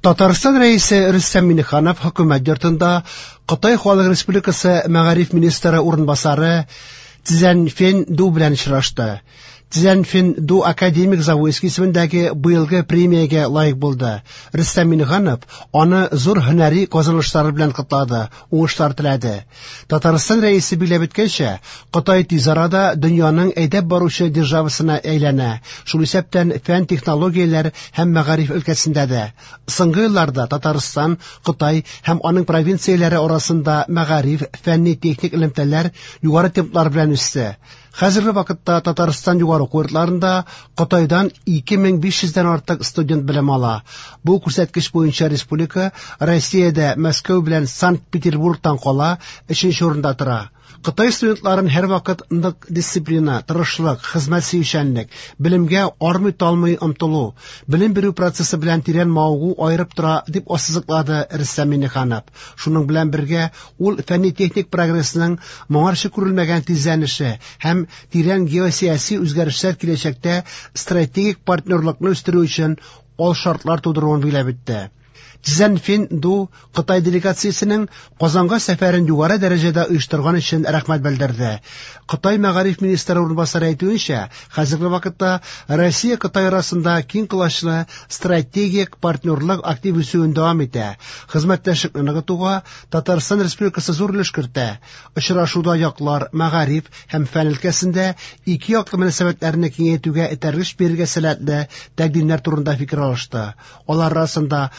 Татарстан Рәисе Рөстәм Миңнеханов Хөкүмәт йортында Кытай Халык Республикасы мәгариф министры урынбасары Цзяньфэн Ду белән очрашты. Цзяньфэн Ду академик Завойский исемендәге быелгы премиягә лаек булды. Рөстәм Миңнеханов аны зур һөнәри казанышлары белән котлады, уңышлар теләде. Татарстан Рәисе билгеләп үткәнчә, Кытай тиз арада дөньяның әйдәп баручы державасына әйләнә, шул исәптән фән-технологияләр һәм мәгариф өлкәсендә дә. Соңгы елларда Татарстан, Кытай һәм аның провинцияләре арасында мәгариф, фәнни-техник элемтәләр югары темплар белән үсте. Хәзерге вакытта Татарстан югары уку йортларында Кытайдан 2500 дән артык студент белем ала. Бу күрсәткеч буенча республика Россиядә Мәскәү белән Санкт-Петербургтан кала өченче урында тора. Кытай студентларын һәрвакыт нык дисциплина, тырышлык, хезмәт сөючәнлек, белемгә армый-талмый омтылу, белем бирү процессы белән тирән мавыгу аерып тора, дип ассызыклады Рөстәм Миңнеханов. Шуның белән бергә ул фәнни-техник прогрессның моңарчы күрелмәгән тизләнеше һәм тирән геосәяси үзгәрешләр киләчәктә стратегик партнерлыкны үстерү өчен алшартлар тудыруын билгеләп үтте. Цзяньфэн Ду Кытай делегациясенең Казанга сәфәрен югары дәрәҗәдә оештырган өчен рәхмәт белдерде. Кытай мәгариф министры урынбасары әйтүенчә, хәзерге вакытта Россия-Кытай арасында киң колачлы стратегик партнерлык актив үсүен дәвам итә. Хезмәттәшлекне ныгытуга Татарстан Республикасы зур өлеш кертә. Очрашуда яклар мәгариф һәм фән өлкәсендә ике яклы мөнәсәбәтләрне киңәйтүгә этәргеч бирергә сәләтле тәкъдимнәр турында фикер алышты. Алар арасында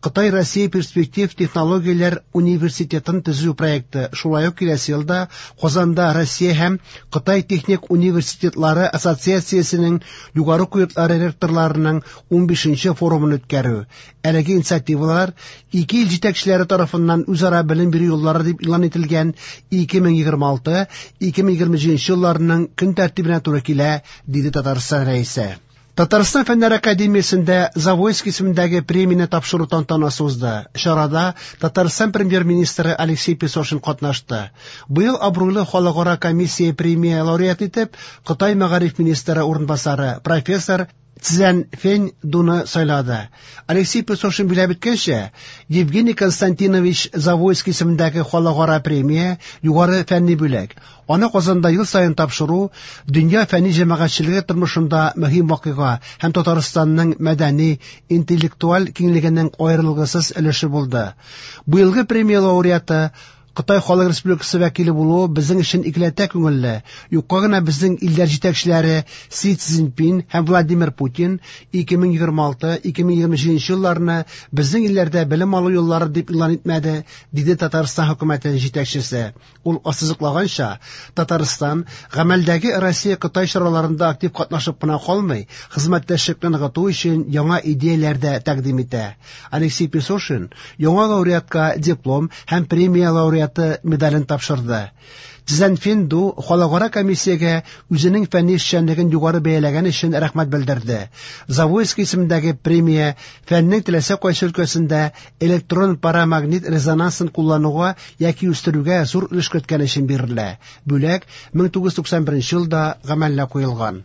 Кытай-Россия перспектив технологияләр университетын төзү проекты, шулай ук киләсе елда Казанда Россия һәм Кытай техник университетлары ассоциациясенең югары уку йортлары ректорларының 15нче форумын үткәрү. Әлеге инициативалар ике ил җитәкчеләре тарафыннан үзара белем бирү юллары дип игълан ителгән 2026-2027 елларның көн тәртибенә туры килә, диде Татарстан Рәисе. Татарстан Фәннәр академиясендә Завойский исемендәге премияне тапшыру тантанасы узды. Чарада Татарстан премьер-министры Алексей Песошин катнашты. Быел абруйлы халыкара комиссия премия лауреаты итеп Кытай мәгариф министры урынбасары профессор Цзян Фэнь Дуны сайлады. Алексей Песошин билгеләп үткәнчә, Евгений Константинович Завойский исемендәге халыкара премия югары фәнни бүләк. Аны Казанда ел саен тапшыру дөнья фәнни җәмәгатьчелеге тормышында мөһим вакыйга һәм Татарстанның мәдәни, интеллектуаль киңлегенең аерылгысыз өлеше булды. Быелгы премия лауреаты Кытай Халык Республикасы вәкиле булуы безнең өчен икеләтә күңелле. Юкка гына безнең илләр җитәкчеләре Си Цзиньпин һәм Владимир Путин 2026-2027 елларны безнең илләрдә белем алу еллары дип игълан итмәде, диде Татарстан хөкүмәте җитәкчесе. Ул ассызыклаганча, Татарстан гамәлдәге Россия-Кытай чараларында актив катнашып кына калмый, хезмәттәшлекне ныгыту өчен яңа идеяләр дә тәкъдим итә. Алексей Песошин яңа лауреатка диплом һәм премия лауреаты медален тапшырды. Цзяньфэн Ду халыкара комиссиягә үзенең фәнни эшчәнлеген югары бәяләгән өчен рәхмәт белдерде. Завойский исемендәге премия фәннең теләсә кайсы өлкәсендә электрон парамагнит резонансын куллануга яки үстерүгә зур өлеш керткән өчен бирелә. Бүләк 1991 елда гамәлгә куелган.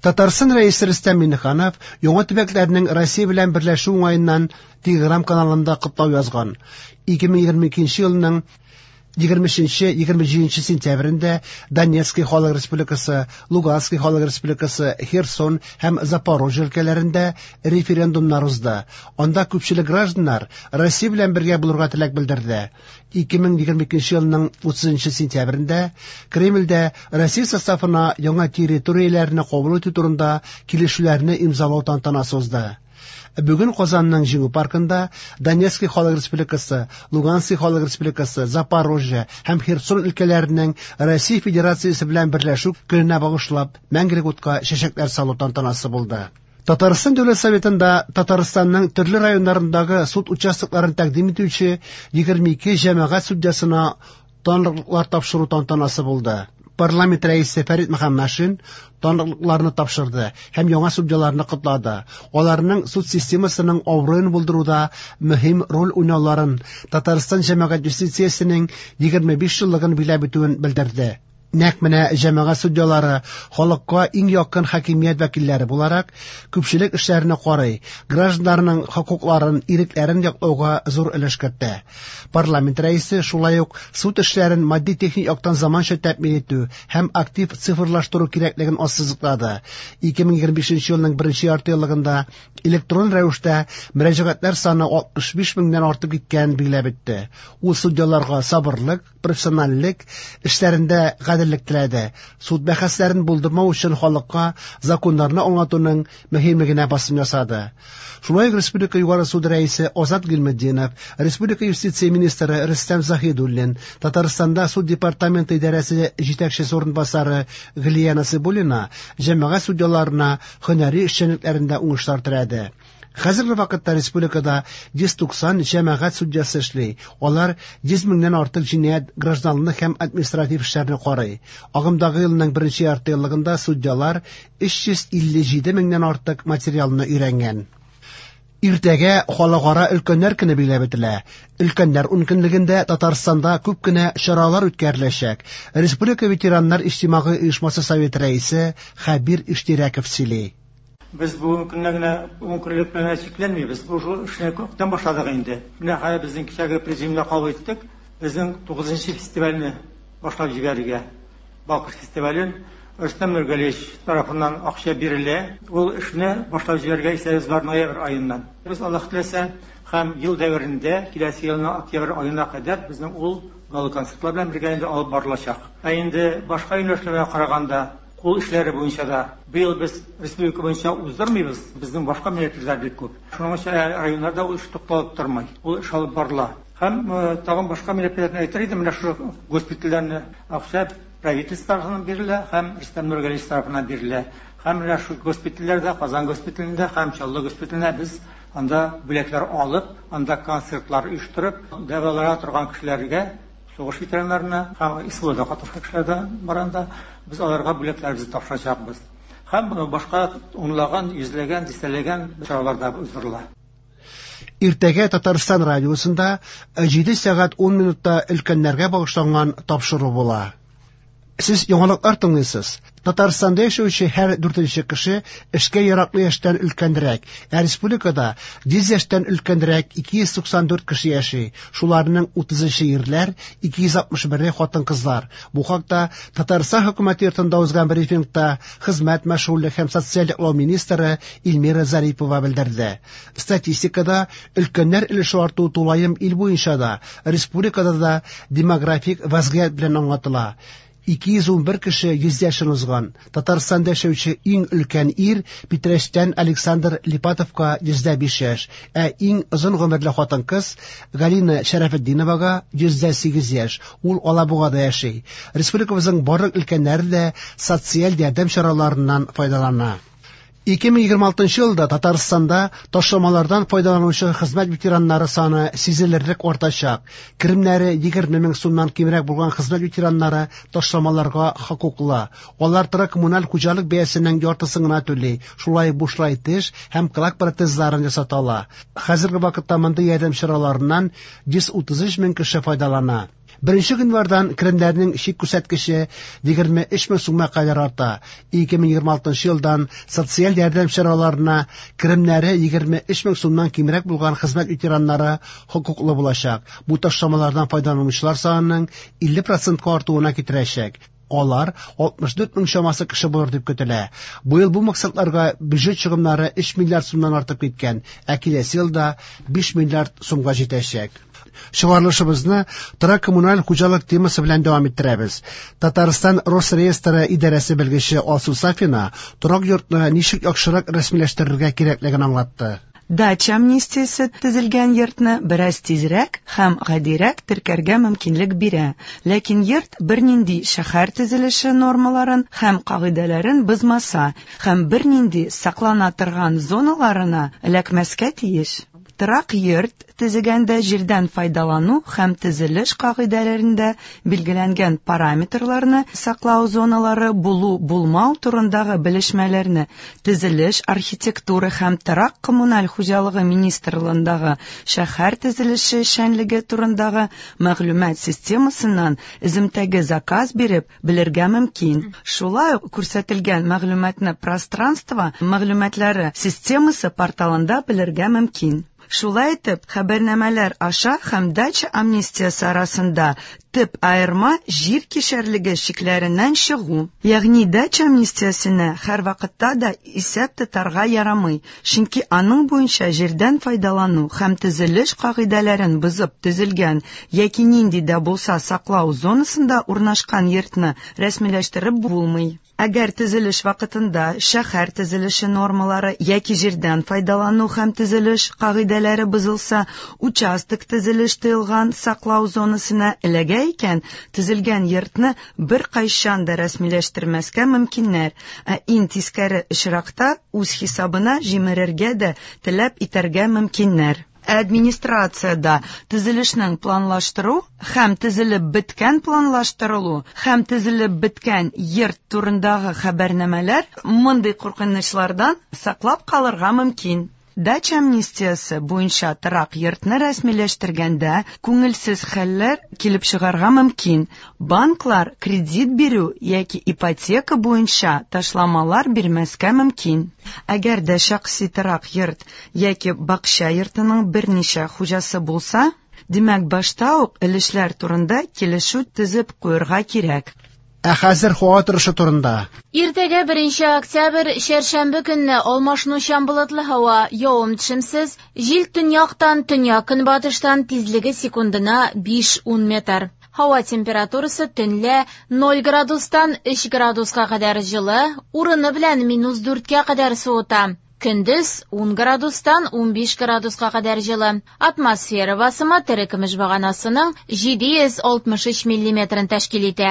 Татарстан Рәисе Рөстәм Миңнеханов яңа төбәкләрнең Россия белән берләшү уңаеннан Телеграм каналында котлау язган. 2022 елның 23-27 сентябрендә Донецкий Халык Республикасы, Луганский Халык Республикасы, Херсон һәм Запорожье өлкәләрендә референдумнар узды. Анда күпчелек гражданнар Россия белән бергә булырга теләк белдерде. 2022 елның 30 сентябрендә Кремльдә Россия составына яңа территорияләрне кабул итү турында килешүләрне имзалау тантанасы узды. Бүген Казанның Җиңү паркында Донецкий Халык Республикасы, Луганский Халык Республикасы, Запорожье һәм Херсон өлкәләренең Россия Федерациясе белән берләшү көненә багышлап мәңгелек утка чәчәкләр салу тантанасы булды. Татарстан Дәүләт Советында Татарстанның төрле районнарындагы суд участокларын тәкъдим итүче 22 җәмәгать судьясына таныклыклар тапшыру тантанасы булды. Парламент рәисе Фәрит Мөхәммәтшин таныклыкларны тапшырды һәм яңа судьяларны котлады. Аларның суд системасының абруен булдыруда мөһим роль уйнауларын, Татарстан җәмәгать юстициясенең 25 еллыгын билгеләп үтүен белдерде. Нәкъ менә җәмәгать судьялары халыкка иң якын хакимият вәкилләре буларак, күпчелек эшләрне карый, гражданнарның хокукларын, ирекләрен яклауга зур өлеш кертә. Парламент рәисе шулай ук суд эшләрен матди-техник яктан заманча тәэмин итү һәм актив цифрлаштыру кирәклеген ассызыклады. 2025 елның беренче яртыеллыгында электрон рәвештә мөрәҗәгатьләр саны 65 меңнән артып киткәнен билгеләп үтте. Ул судьяларга сабырлык, профессиональлек, эшләрендә гаделлек теләде. Суд бәхәсләрен булдырмау өчен халыкка законнарны аңлатуның мөһимлегенә басым ясады. Шулай ук Республика Югары суды рәисе Азат Гыйльметдинов, Республика юстиция министры Рөстәм Заһидуллин, Татарстанда суд департаменты идарәсе җитәкчесе урынбасары Гөлия Насыйбуллина җәмәгать судьяларына һөнәри эшчәнлекләрендә уңышлар теләде. Хәзерге вакытта республикада 190 җәмәгать судьясы эшли. Алар 100 меңнән артык җинаять, гражданлык һәм административ эшләрне карый. Агымдагы елның беренче яртыеллыгында судьялар 357 меңнән артык материалны өйрәнгән. Иртәгә Халыкара өлкәннәр көне билгеләп үтелә. Өлкәннәр ункөнлегендә Татарстанда күп кенә чаралар үткәреләчәк. Республика ветераннар иҗтимагый оешмасы советы рәисе Хәбир Иштирәков сөйли. Без бүгенге көнне генә ункөнлек белән генә чикләнмибез. Бу шул эшне күптән башладык инде. Менә хәзер безнең кичәге президиумда кабул иттек. Безнең 9 фестивальне башлап җибәрергә. Балкыш фестивален Рөстәм Нургалиевич тарафыннан акча бирелә. Ул эшне башлап җибәрергә исәбебез бар ноябрь аеннан. Без Аллаһ теләсә һәм ел дәверендә, киләсе елның октябрь аена кадәр безнең ул гала-концертлар белән бергә инде алып барылачак. Ә инде башка юнәлешләргә караганда, кул эшләре буенча да быел без республика буенча уздырмыйбыз, безнең башка мероприятиеләр бик күп. Шуның өчен районнарда ул эш тукталып тормый, ул эш алып барыла. Һәм тагын башка мероприятиене әйтер идем, менә шушы госпитальләрне акча правительство тарафыннан бирелә һәм Рөстәм Нургалиевич тарафыннан бирелә. Һәм менә шул госпитальләрдә, Казан госпиталендә һәм Чаллы госпиталендә без анда бүләкләр алып, анда концертлар оештырып, дәвалана торган кешеләргә, сугыш ветераннарына һәм СВОда катнашкан кешеләр дә бар анда, без аларга бүләкләребезне тапшырачакбыз. Һәм башка унлаган, йөзләгән, дистәләгән чаралар да уздырыла. Иртәгә Татарстан радиосында 7 сәгать 10 минутта өлкәннәргә багышланган тапшыру була. Сез яңалыклар тыңлыйсыз. Татарстанда яшәүче һәр дүртенче кеше эшкә яраклы яшьтән өлкәнрәк, ә республикада 100 яшьтән өлкәнрәк 294 кеше яши. Шуларның 33-е ирләр, 261-е хатын-кызлар. Бу хакта Татарстан хөкүмәте йортында узган брифингта хезмәт, мәшгульлек һәм социаль яклау министры Эльмира Зарипова белдерде. Статистикада өлкәннәр өлеше арту тулаем ил буенча да, республикада да демографик вазгыять белән аңлатыла. 211 кеше 100 яшен узган. Татарстанда яшәүче иң өлкән ир Питрәчтән Александр Липатовка 105 яшь, ә иң озын гомерле хатын-кыз Галина Шәрәфетдиновага 108 яшь. Ул Алабугада яши. Республикабызның барлык өлкәннәре дә социаль ярдәм чараларыннан файдалана. 2026 елда Татарстанда ташламалардан файдаланучы хезмәт ветераннары саны сизелерлек артачак. Керемнәре 20 мең сумнан кимрәк булган хезмәт ветераннары ташламаларга хокуклы. Алар торак коммуналь хуҗалык бәясенең яртысын гына түли, шулай бушлай теш һәм колак протезларын ясата ала. Хәзерге вакытта мондый ярдәм чараларыннан 133 мең кеше файдалана. Беренче гыйнвардан керемнәрнең чик күрсәткече 23 мең сумга кадәр арта. 2026 елдан социаль ярдәм чараларына керемнәре 23 мең сумнан кимрәк булган хезмәт ветераннары хокуклы булачак. Бу ташламалардан файдаланучылар санының 50%ка артуына китерәчәк. Алар 64 мең чамасы кеше булыр дип көтелә. Быел бу максатларга бюджет чыгымнары 3 миллиард сумнан артып киткән, ә киләсе елда 5 миллиард сумга җитәчәк. Чыгарылышыбызны торак коммуналь хуҗалык темасы белән дәвам иттерәбез. Татарстан Росреестры идарәсе белгече Алсу Сафина торак йортны ничек яхшырак рәсмиләштерергә кирәклеген аңлатты. Дача амнистиясе төзелгән йортны бераз тизрәк һәм гадирәк теркәргә мөмкинлек бирә. Ләкин йорт бернинди шәһәр төзелеше нормаларын һәм кагыйдәләрен бозмаса һәм бернинди саклана торган зоналарына эләкмәскә тиеш. Торак йорт төзегәндә җирдән файдалану һәм төзелеш кагыйдәләрендә билгеләнгән параметрларны саклау зоналары булу-булмау турындагы белешмәләрне Төзелеш, архитектура һәм торак-коммуналь хуҗалыгы министрлыгындагы шәһәр төзелеше эшчәнлеге турындагы мәгълүмат системасыннан өземтәгә заказ биреп белергә мөмкин. Шулай ук күрсәтелгән мәгълүматны Пространство мәгълүматлары системасы порталында белергә мөмкин. Шулай итеп, хәбәрнамәләр аша һәм дача амнистиясе арасында төп аерма җир кишәрлеге чикләреннән чыгу. Ягъни дача амнистиясенә һәрвакытта да исәп тотарга ярамый, чөнки аның буенча җирдән файдалану һәм төзелеш кагыйдәләрен бозып төзелгән яки нинди дә булса саклау зонасында урнашкан йортны рәсмиләштереп булмый. Әгәр төзелеш вакытында шәһәр төзелеше нормалары яки җирдән файдалану һәм төзелеш кагыйдәләре бозылса, участок төзелеш тыелган саклау зонасына эләгә икән, төзелгән йортны беркайчан да рәсмиләштермәскә мөмкиннәр, ә иң тискәре очракта үз хисабына җимерергә дә таләп итәргә мөмкиннәр. Ә администрациядә төзелешнең планлаштыру һәм төзелеп беткән планлаштырылу һәм төзелеп беткән йорт турындагы хәбәрнамәләр мондый куркынычлардан саклап калырга мөмкин. Дача амнистиясе буенча торак йортны рәсмиләштергәндә күңелсез хәлләр килеп чыгарга мөмкин. Банклар кредит бирү яки ипотека буенча ташламалар бирмәскә мөмкин. Әгәр дә шәхси торак йорт яки бакча йортының берничә хуҗасы булса, димәк, башта ук өлешләр турында килешү төзеп куярга кирәк. Ә хәзер һава торышы турында. Иртәгә 1 октябрь, чәршәмбе көнне алмашынучан болытлы һава, явым-төшемсез, җил төньяктан, төньяк-көнбатыштан, тизлеге секундына 5-10 метр. Һава температурасы төнлә 0 градустан 3 градуска кадәр җылы, урыны белән минус 4кә кадәр суыта. Көндез 10 градустан 15 градуска кадәр җылы. Атмосфера басымы терекөмеш баганасының 763 миллиметрын тәшкил итә.